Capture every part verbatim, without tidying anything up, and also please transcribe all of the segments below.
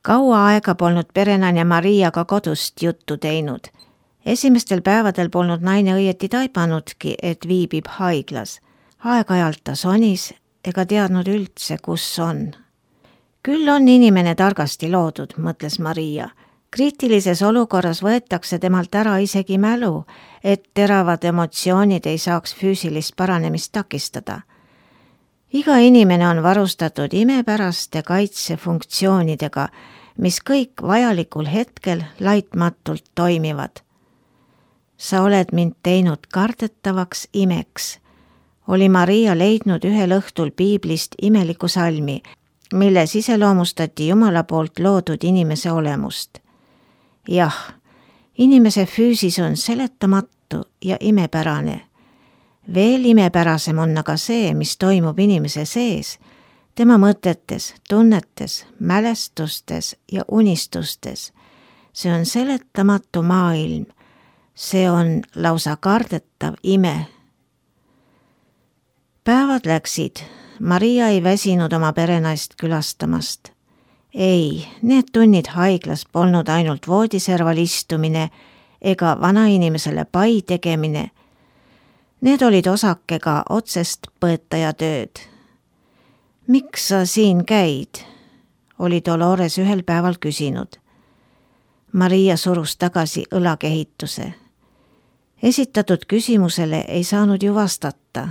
Kaua aega polnud perenaine Mariaga kodust juttu teinud. Esimestel päevadel polnud naine õieti taipanudki, et viibib haiglas. Aeg-ajalt ta sonis ega teadnud üldse, kus on. Küll on inimene targasti loodud, mõtles Maria. Kriitilises olukorras võetakse temalt ära isegi mälu, et teravad emotsioonid ei saaks füüsilist paranemist takistada. Iga inimene on varustatud imepäraste kaitsefunktsioonidega, mis kõik vajalikul hetkel laitmatult toimivad. Sa oled mind teinud kardetavaks imeks, oli Maria leidnud ühel õhtul piiblist imeliku salmi, milles iseloomustati Jumala poolt loodud inimese olemust. Jah, inimese füüsis on seletamatu ja imepärane. Veel imepärasem on aga see, mis toimub inimese sees, tema mõtetes, tunnetes, mälestustes ja unistustes. See on seletamatu maailm. See on lausa kardetav ime. Päevad läksid. Maria ei väsinud oma perenaist külastamast. Ei, need tunnid haiglas polnud ainult voodiserval istumine ega vanainimesele pai tegemine. Need olid osakega otsest põetaja tööd. Miks sa siin käid? Oli Dolores ühel päeval küsinud. Maria surus tagasi õlakehituse. Esitatud küsimusele ei saanud ju vastata.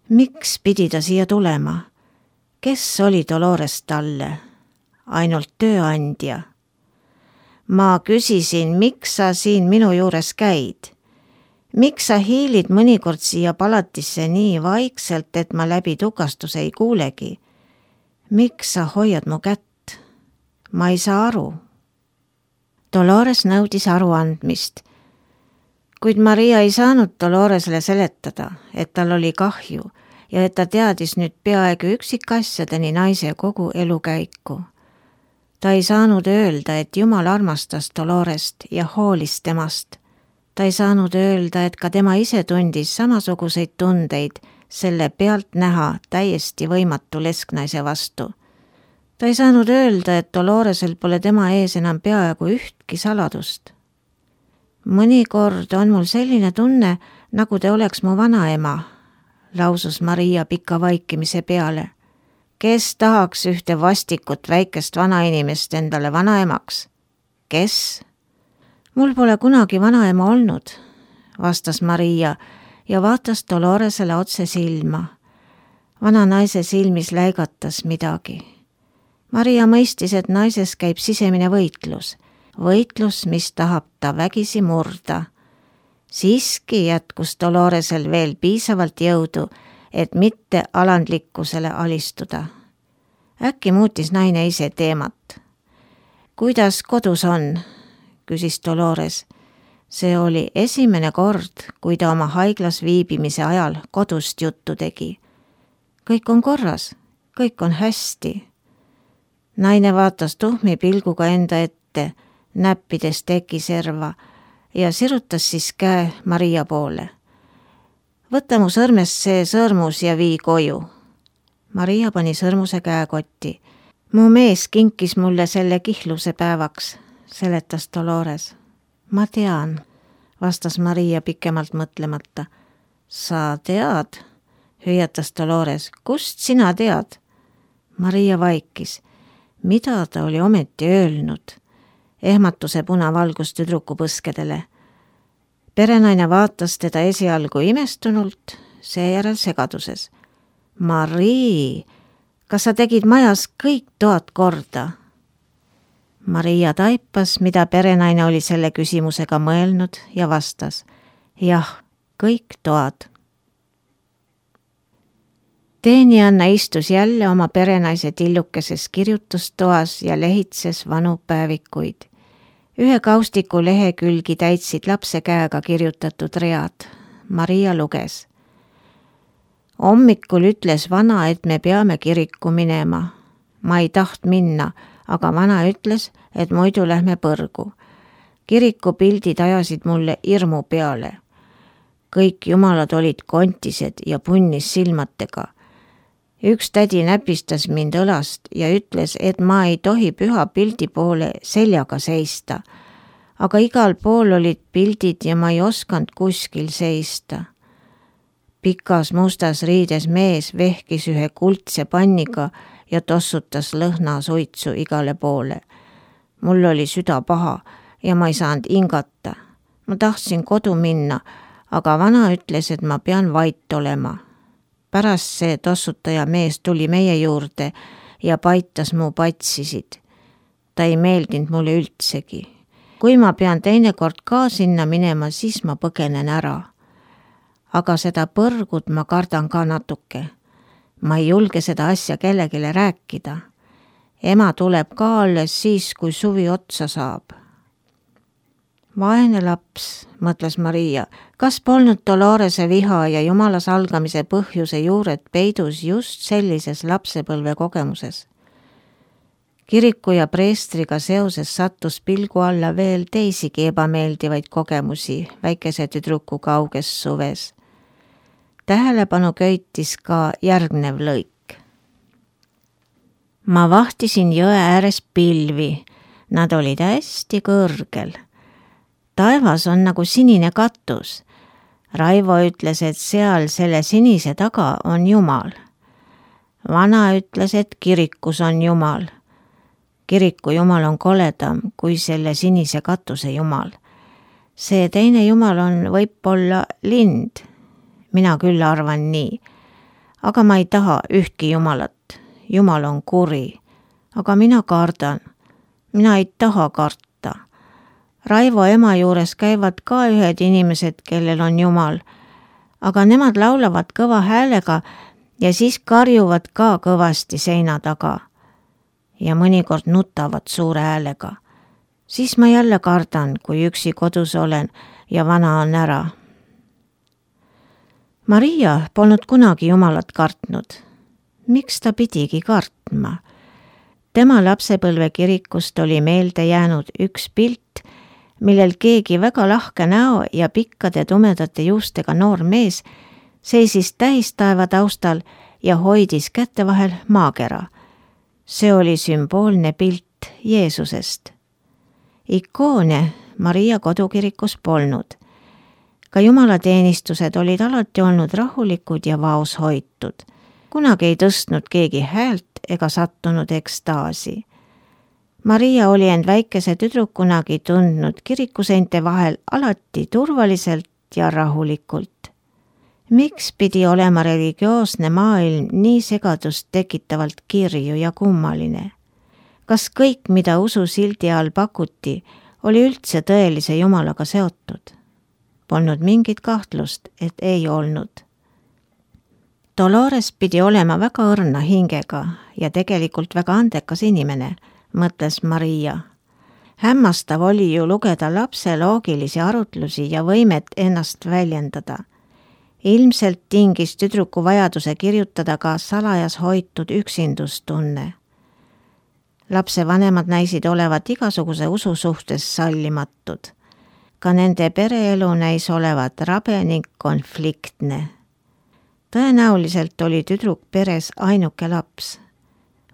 Miks pidi ta siia tulema? Kes oli Dolores talle? Ainult tööandja. Ma küsisin, miks sa siin minu juures käid? Miks sa hiilid mõnikord siia palatisse nii vaikselt, et ma läbi tukastuse ei kuulegi? Miks sa hoiad mu kätt? Ma ei saa aru. Dolores nõudis aruandmist. Kuid Maria ei saanud Doloresele seletada, et tal oli kahju ja et ta teadis nüüd peaaegu üksikasjadeni naise kogu elukäiku. Ta ei saanud öelda, et Jumal armastas Dolorest ja hoolis temast. Ta ei saanud öelda, et ka tema ise tundis samasuguseid tundeid selle pealt näha täiesti võimatu lesknaise vastu. Ta ei saanud öelda, et Doloresel pole tema ees enam peaaegu ühtki saladust. Mõnikord on mul selline tunne, nagu te oleks mu vanaema, lausus Maria pika vaikimise peale. Kes tahaks ühte vastikut väikest vanainimest endale vanaemaks? Kes? Mul pole kunagi vanaema olnud, vastas Maria ja vaatas Doloresele otse silma. Vana naise silmis läigatas midagi. Maria mõistis, et naises käib sisemine võitlus. Võitlus, mis tahab ta vägisi murda. Siiski jätkus Doloresel veel piisavalt jõudu, et mitte alandlikkusele alistuda. Äkki muutis naine ise teemat. Kuidas kodus on? Küsis Dolores. See oli esimene kord, kui ta oma haiglas viibimise ajal kodust juttu tegi. Kõik on korras, kõik on hästi. Naine vaatas tuhmi pilguga enda ette, näppides tekiserva ja sirutas siis käe Maria poole. Võta mu sõrmest see sõrmus ja vii koju. Maria pani sõrmuse käekotti. Mu mees kinkis mulle selle kihluse päevaks, seletas Dolores. Ma tean, vastas Maria pikemalt mõtlemata. Sa tead, hüüatas Dolores. Kust sina tead? Maria vaikis. Mida ta oli ometi öelnud? Ehmatuse punavalgus tüdruku põskedele. Perenaine vaatas teda esialgu imestunult, seejärel segaduses. Marii, kas sa tegid majas kõik toad korda? Maria taipas, mida perenaine oli selle küsimusega mõelnud ja vastas. Jah, kõik toad. Teenianna istus jälle oma perenaise tillukeses kirjutustoas ja lehitses vanu päevikuid. Ühe kaustiku lehekülgi täitsid lapse käega kirjutatud read. Maria luges. Hommikul ütles vana, et me peame kirikku minema. Ma ei taht minna, aga vana ütles, et muidu lähme põrgu. Kiriku pildid ajasid mulle hirmu peale. Kõik jumalad olid kontised ja punnis silmatega. Üks tädi näpistas mind õlast ja ütles, et ma ei tohi püha pildi poole seljaga seista. Aga igal pool olid pildid ja ma ei osanud kuskil seista. Pikas mustas riides mees vehkis ühe kuldse panniga ja tossutas lõhnasuitsu igale poole. Mul oli süda paha ja ma ei saanud hingata. Ma tahtsin kodu minna, aga vana ütles, et ma pean vait olema. Pärast see tossutaja mees tuli meie juurde ja paitas mu patsisid. Ta ei meeldinud mulle üldsegi. Kui ma pean teinekord ka sinna minema, siis ma põgenen ära. Aga seda põrgut ma kardan ka natuke. Ma ei julge seda asja kellegile rääkida. Ema tuleb ka alles siis, kui suvi otsa saab. Vaene laps, mõtles Maria, kas polnud Dolorese viha ja jumala salgamise põhjuse juured peidus just sellises lapsepõlve kogemuses. Kiriku ja preestriga seoses sattus pilgu alla veel teisigi ebameeldivaid kogemusi väikese tüdruku kauges suves. Tähelepanu köitis ka järgnev lõik. Ma vahtisin jõe ääres pilvi, nad olid hästi kõrgel. Taevas on nagu sinine katus. Raivo ütles, et seal selle sinise taga on Jumal. Vana ütles, et kirikus on Jumal. Kiriku Jumal on koledam kui selle sinise katuse Jumal. See teine Jumal on võib-olla lind. Mina küll arvan nii. Aga ma ei taha ühtki Jumalat. Jumal on kuri. Aga mina kardan. Mina ei taha karta. Raivo ema juures käivad ka ühed inimesed, kellel on Jumal. Aga nemad laulavad kõva häälega ja siis karjuvad ka kõvasti seina taga. Ja mõnikord nutavad suure häälega. Siis ma jälle kardan, kui üksi kodus olen ja vana on ära. Maria polnud kunagi Jumalat kartnud. Miks ta pidigi kartma? Tema lapsepõlve kirikust oli meelde jäänud üks pilt, millel keegi väga lahke näo ja pikkade tumedate juustega noor mees seisis täistaeva taustal ja hoidis kätte vahel maakera. See oli sümboolne pilt Jeesusest. Ikoone Maria kodukirikus polnud. Ka jumalateenistused olid alati olnud rahulikud ja vaos hoitud. Kunagi ei tõstnud keegi häält ega sattunud ekstaasi. Maria oli end väikese tüdrukunagi tundnud kirikuseinte vahel alati turvaliselt ja rahulikult. Miks pidi olema religioosne maailm nii segadust tekitavalt kirju ja kummaline? Kas kõik, mida usu sildi all pakuti, oli üldse tõelise Jumalaga seotud? Polnud mingit kahtlust, et ei olnud. Dolores pidi olema väga õrna hingega ja tegelikult väga andekas inimene, mõtles Maria. Hämmastav oli ju lugeda lapse loogilisi arutlusi ja võimet ennast väljendada. Ilmselt tingis tüdruku vajaduse kirjutada ka salajas hoitud üksindustunne. Lapse vanemad näisid olevat igasuguse usu suhtes sallimatud. Ka nende pereelu näis olevat rabe ning konfliktne. Tõenäoliselt oli tüdruk peres ainuke laps.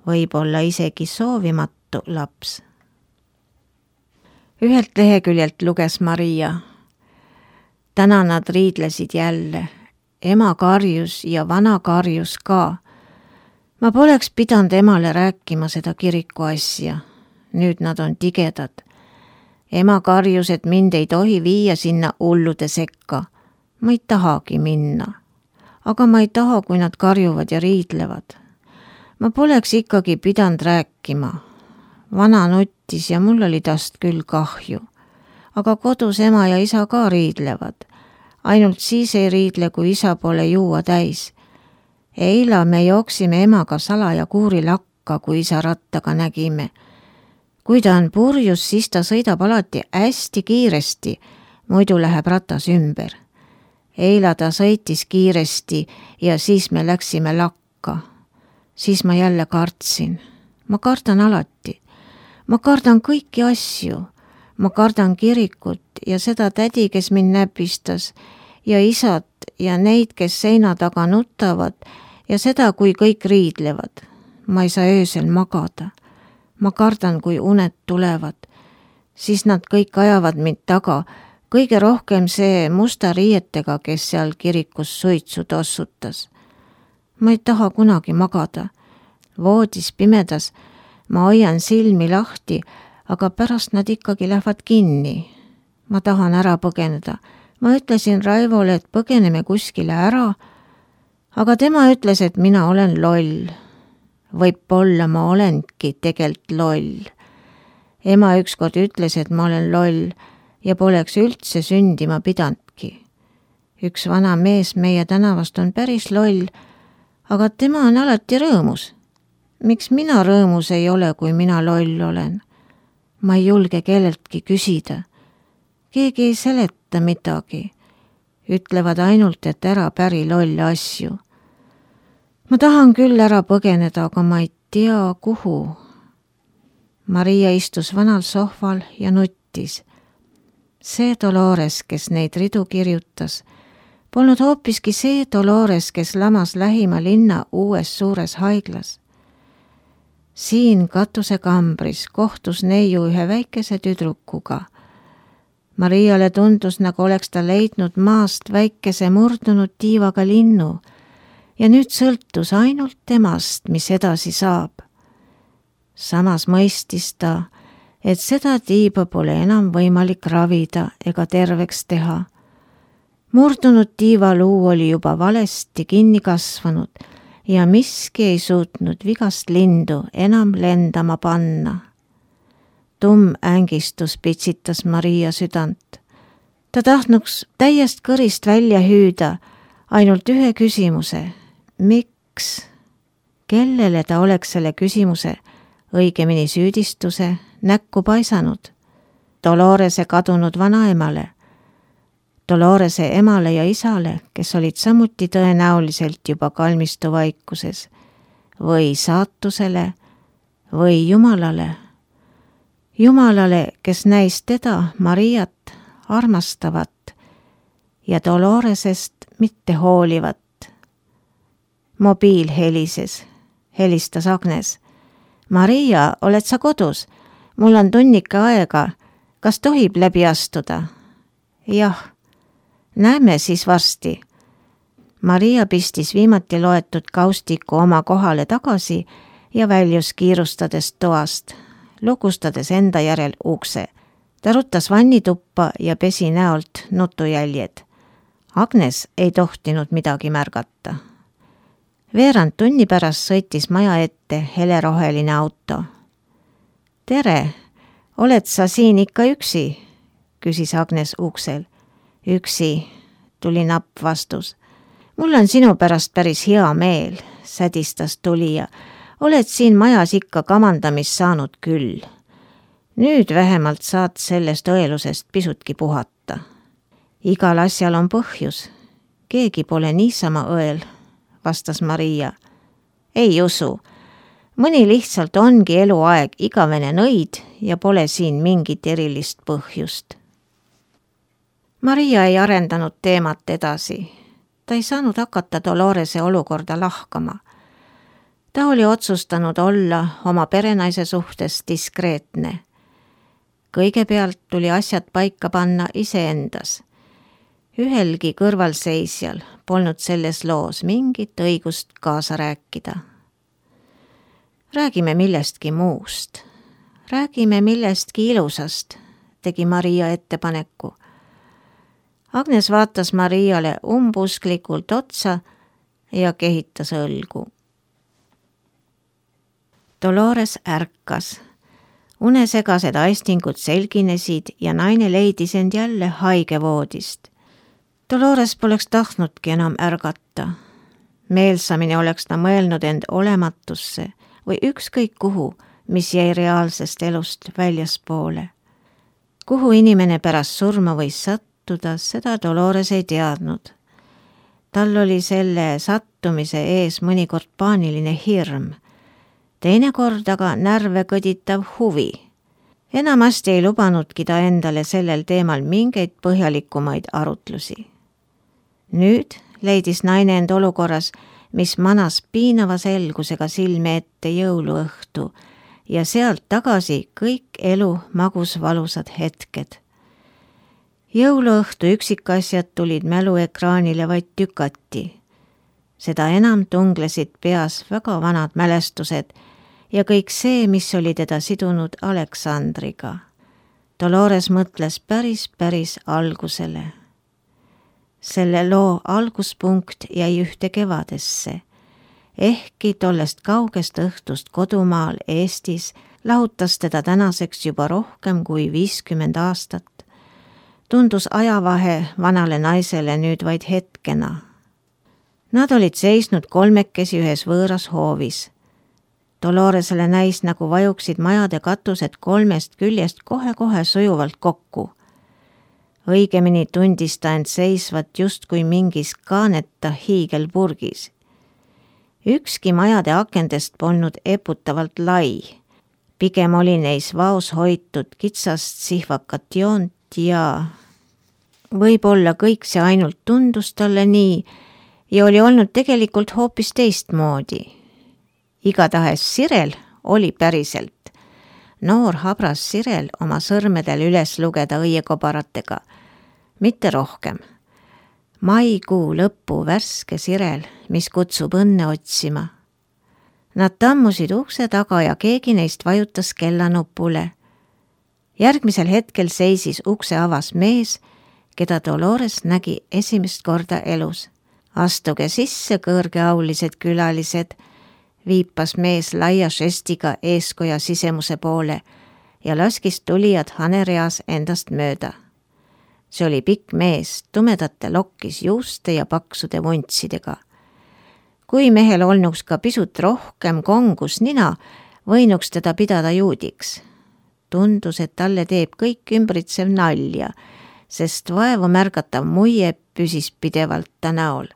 Võib-olla isegi soovimatu laps. Ühelt leheküljelt luges Maria. Täna nad riidlesid jälle. Ema karjus ja vana karjus ka. Ma poleks pidanud emale rääkima seda kiriku asja. Nüüd nad on tigedad. Ema karjus, et mind ei tohi viia sinna hullude sekka. Ma ei tahagi minna. Aga ma ei taha, kui nad karjuvad ja riidlevad. Ma poleks ikkagi pidanud rääkima. Vana nuttis ja mul oli tast küll kahju. Aga kodus ema ja isa ka riidlevad. Ainult siis ei riidle, kui isa pole juua täis. Eila me jooksime emaga salaja kuuri lakka, kui isa rattaga nägime. Kui ta on purjus, siis ta sõidab alati hästi kiiresti, muidu läheb ratas ümber. Eila ta sõitis kiiresti ja siis me läksime lakka. Siis ma jälle kartsin. Ma kardan alati. Ma kardan kõiki asju. Ma kardan kirikut ja seda tädi, kes mind näpistas, ja isad ja neid, kes seina taga nutavad ja seda, kui kõik riidlevad. Ma ei saa öösel magada. Ma kardan, kui uned tulevad. Siis nad kõik ajavad mind taga. Kõige rohkem see musta riietega, kes seal kirikus suitsu tossutas. Ma ei taha kunagi magada. Voodis pimedas ma hoian silmi lahti, aga pärast nad ikkagi lähevad kinni. Ma tahan ära põgeneda. Ma ütlesin Raivole, et põgeneme kuskile ära, aga tema ütles, et mina olen loll. Võib-olla ma olengi tegelt loll. Ema ükskord ütles, et ma olen loll ja poleks üldse sündima pidandki. Üks vana mees meie tänavast on päris loll, aga tema on alati rõõmus. Miks mina rõõmus ei ole, kui mina loll olen? Ma ei julge kelleltki küsida. Keegi ei seleta midagi. Ütlevad ainult, et ära päri lolle asju. Ma tahan küll ära põgeneda, aga ma ei tea, kuhu. Maria istus vanal sohval ja nuttis. See Dolores, kes neid ridu kirjutas, polnud hoopiski see Dolores, kes lamas lähima linna uues suures haiglas. Siin katusekambris kohtus neiu ühe väikese tüdrukuga. Mariale tundus, nagu oleks ta leidnud maast väikese murdunud tiivaga linnu ja nüüd sõltus ainult temast, mis edasi saab. Samas mõistis ta, et seda tiiba pole enam võimalik ravida ega terveks teha. Murdunud tiivaluu oli juba valesti kinni kasvanud ja miski ei suutnud vigast lindu enam lendama panna. Tumm ängistus pitsitas Maria südant. Ta tahtnuks täiest kõrist välja hüüda ainult ühe küsimuse. Miks? Kellele ta oleks selle küsimuse, õigemini süüdistuse, näkku paisanud? Dolorese kadunud vanaemale, Dolorese emale ja isale, kes olid samuti tõenäoliselt juba kalmistu vaikuses, või saatusele või Jumalale. Jumalale, kes näis teda, Mariat, armastavat ja Doloresest mitte hoolivat. Mobiil helises, helistas Agnes. Maria, oled sa kodus? Mul on tunnike aega. Kas tohib läbi astuda? Jah, näeme siis varsti. Maria pistis viimati loetud kaustiku oma kohale tagasi ja väljus kiirustades toast, lukustades enda järel ukse. Ta rutas vannituppa ja pesi näolt nutujäljed. Agnes ei tohtinud midagi märgata. Veerand tunni pärast sõitis maja ette heleroheline auto. Tere, oled sa siin ikka üksi? Küsis Agnes uksel. Üksi, tuli napp vastus. Mul on sinu pärast päris hea meel, sädistas tulija. Oled siin majas ikka kamandamist saanud küll. Nüüd vähemalt saad sellest õelusest pisutki puhata. Igal asjal on põhjus. Keegi pole niisama õel, vastas Maria. Ei usu. Mõni lihtsalt ongi eluaeg igavene nõid ja pole siin mingit erilist põhjust. Maria ei arendanud teemat edasi. Ta ei saanud hakata Dolorese olukorda lahkama. Ta oli otsustanud olla oma perenaise suhtes diskreetne. Kõigepealt tuli asjad paika panna iseendas. Ühelgi kõrvalseisjal polnud selles loos mingit õigust kaasa rääkida. Räägime millestki muust. Räägime millestki ilusast, tegi Maria ettepaneku. Agnes vaatas Mariale umbusklikult otsa ja kehitas õlgu. Dolores ärkas. Unesegased aistingud selginesid ja naine leidis end jälle haigevoodist. Dolores poleks tahtnudki enam ärgata. Meelsamini oleks ta mõelnud end olematusse või ükskõik kuhu, mis jäi reaalsest elust väljaspoole. Kuhu inimene pärast surma võis sattuda, seda Dolores ei teadnud. Tal oli selle sattumise ees mõnikord paaniline hirm, teinekord aga närve kõditav huvi. Enamasti ei lubanudki ta endale sellel teemal mingeid põhjalikumaid arutlusi. Nüüd leidis naine end olukorras, mis manas piinava selgusega silme ette jõuluõhtu ja sealt tagasi kõik elu magus valusad hetked. Jõuluõhtu üksikasjad tulid mäluekraanile vaid tükati. Seda enam tunglesid peas väga vanad mälestused ja kõik see, mis oli teda sidunud Aleksandriga. Dolores mõtles päris, päris algusele. Selle loo alguspunkt jäi ühte kevadesse. Ehkki tollest kaugest õhtust kodumaal Eestis lahutas teda tänaseks juba rohkem kui viiskümmend aastat. Tundus ajavahe vanale naisele nüüd vaid hetkena. Nad olid seisnud kolmekesi ühes võõras hoovis. Doloresele näis, nagu vajuksid majade katused kolmest küljest kohe-kohe sujuvalt kokku. Õigemini tundis ta end seisvat justkui mingis kaaneta hiigelpurgis. Ükski majade akendest polnud eputavalt lai. Pigem oli neis vaos hoitud kitsast sihvakat joont ja võib-olla kõik see ainult tundus talle nii ja oli olnud tegelikult hoopis teistmoodi. Igatahes Sirel oli päriselt. Noor habras Sirel oma sõrmedel üles lugeda õiekobaratega. Mitte rohkem. Maikuu lõpu värske Sirel, mis kutsub õnne otsima. Nad tammusid ukse taga ja keegi neist vajutas kellanupule. Järgmisel hetkel seisis ukse avas mees, keda Dolores nägi esimest korda elus. Astuge sisse, kõrgeaulised külalised, viipas mees laia žestiga eeskoja sisemuse poole ja laskis tulijad hanereas endast mööda. See oli pikk mees, tumedate lokkis juuste ja paksude vuntsidega. Kui mehel olnuks ka pisut rohkem kongus nina, võinuks teda pidada juudiks. Tundus, et talle teeb kõik ümbritsev nalja, sest vaevu märgatav muie püsis pidevalt ta näol.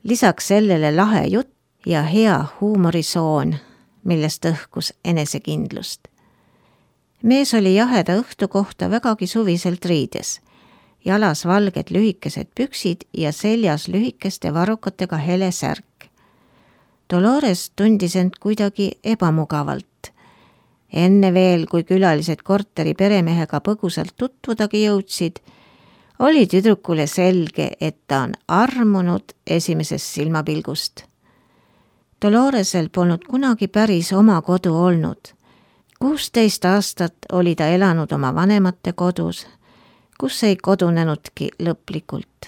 Lisaks sellele lahe jutt ja hea huumorisoon, millest õhkus enesekindlust. Mees oli jaheda õhtu kohta vägagi suviselt riides, jalas valged lühikesed püksid ja seljas lühikeste varrukatega hele särk. Dolores tundis end kuidagi ebamugavalt. Enne veel, kui külalised korteri peremehega põgusalt tutvudagi jõudsid, oli tüdrukule selge, et ta on armunud esimesest silmapilgust. Doloresel polnud kunagi päris oma kodu olnud. kuusteist aastat oli ta elanud oma vanemate kodus, kus ei kodunenudki lõplikult.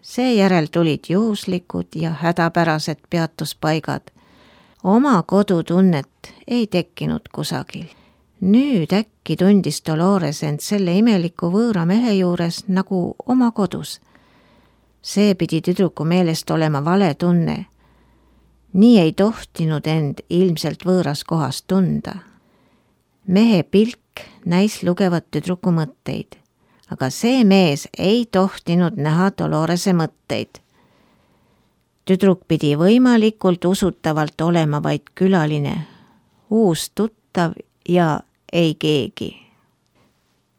Seejärel tulid juhuslikud ja hädapärased peatuspaigad. Oma kodutunnet ei tekkinud kusagil. Nüüd äkki tundis Dolores end selle imeliku võõra mehe juures nagu oma kodus. See pidi tüdruku meelest olema vale tunne. Nii ei tohtinud end ilmselt võõras kohas tunda. Mehe pilk näis lugevat tüdruku mõtteid, aga see mees ei tohtinud näha Dolorese mõtteid. Tüdruk pidi võimalikult usutavalt olema vaid külaline, uus tuttav ja ei keegi.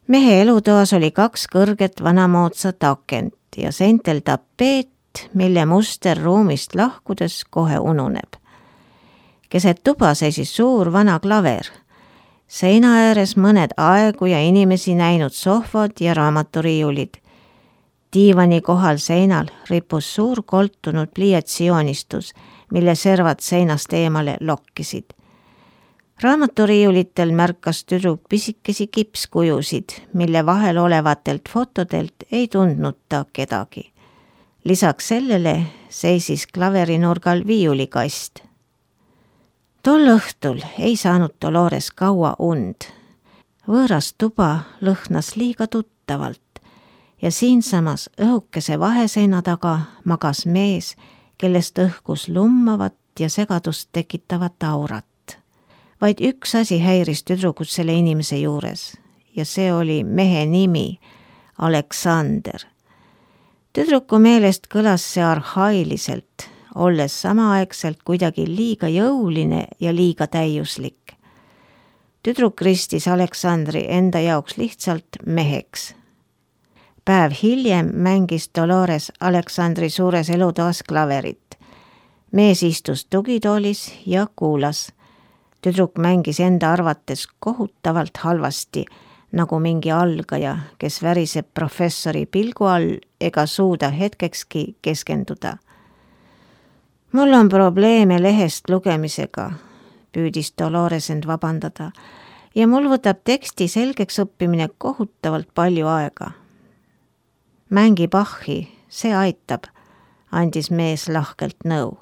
Mehe elutoas oli kaks kõrget vanamoodsat akent ja seintel tapeet, mille muster ruumist lahkudes kohe ununeb. Keset tuba seisis suur vana klaver. Seina ääres mõned aegu ja inimesi näinud sohvad ja raamaturiiulid. Diivani kohal seinal rippus suur koltunud pliiatsijoonistus, mille servad seinast eemale lokkisid. Raamaturiiulitel märkas tüdruk pisikesi kipskujusid, mille vahel olevatelt fotodelt ei tundnud ta kedagi. Lisaks sellele seisis klaverinurgal viiulikast. Tol õhtul ei saanud Dolores kaua und. Võõras tuba lõhnas liiga tuttavalt ja siinsamas õhukese vaheseina taga magas mees, kellest õhkus lummavat ja segadust tekitavat aurat. Vaid üks asi häiris tüdrukut selle inimese juures ja see oli mehe nimi, Aleksander. Tüdruku meelest kõlas see arhailiselt, olles samaaegselt kuidagi liiga jõuline ja liiga täiuslik. Tüdruk ristis Aleksandri enda jaoks lihtsalt meheks. Päev hiljem mängis Dolores Aleksandri suures elutoas klaverit mees istus tugitoolis ja kuulas. Tüdruk mängis enda arvates kohutavalt halvasti, nagu mingi algaja, kes väriseb professori pilgu all ega suuda hetkekski keskenduda. Mul on probleeme lehest lugemisega, püüdis Dolores end vabandada, ja mul võtab teksti selgeks õppimine kohutavalt palju aega. Mängi Bachi, see aitab, andis mees lahkelt nõu.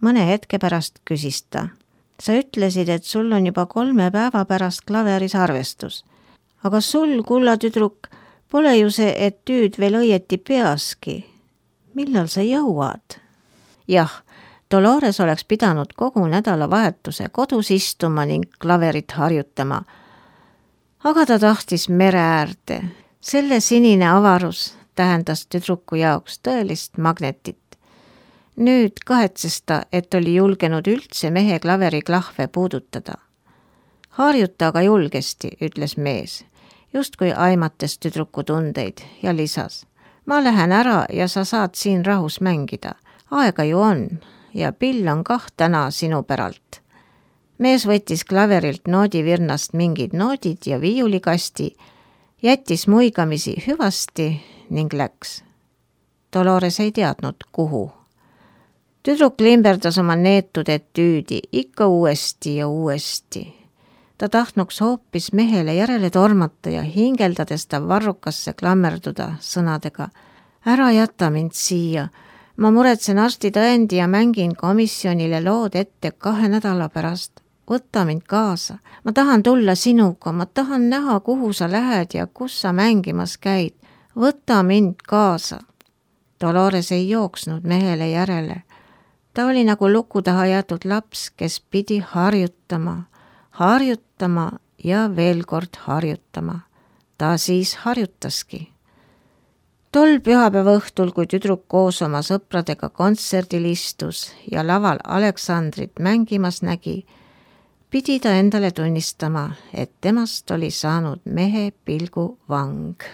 Mõne hetke pärast küsis ta. Sa ütlesid, et sul on juba kolme päeva pärast klaveris arvestus. Aga sul, kulla tüdruk, pole ju see etüüd veel õieti peaski. Millal sa jõuad? Jah, Dolores oleks pidanud kogu nädalavahetuse kodus istuma ning klaverit harjutama. Aga ta tahtis mere äärde. Selle sinine avarus tähendas tüdruku jaoks tõelist magnetit. Nüüd kahetses ta, et oli julgenud üldse mehe klaveri klahve puudutada. Harjuta aga julgesti, ütles mees, justkui aimates tüdruku tundeid ja lisas. Ma lähen ära ja sa saad siin rahus mängida. Aega ju on ja pill on kah täna sinu päralt. Mees võttis klaverilt noodivirnast mingid noodid ja viiulikasti, jättis muigamisi hüvasti ning läks. Dolores ei teadnud, kuhu. Tüdruk limberdas oma neetud etüüdi ikka uuesti ja uuesti. Ta tahtnuks hoopis mehele järele tormata ja hingeldades ta varrukasse klammerduda sõnadega. Ära jäta mind siia. Ma muretsen arsti tõendi ja mängin komisjonile lood ette kahe nädala pärast. Võta mind kaasa. Ma tahan tulla sinuga. Ma tahan näha, kuhu sa lähed ja kus sa mängimas käid. Võta mind kaasa. Dolores ei jooksnud mehele järele. Ta oli nagu luku taha jäetud laps, kes pidi harjutama, harjutama ja veel kord harjutama. Ta siis harjutaski. Tol pühapäeva õhtul, kui tüdruk koos oma sõpradega kontserdil istus ja laval Aleksandrit mängimas nägi, pidi ta endale tunnistama, et temast oli saanud mehe pilgu vang.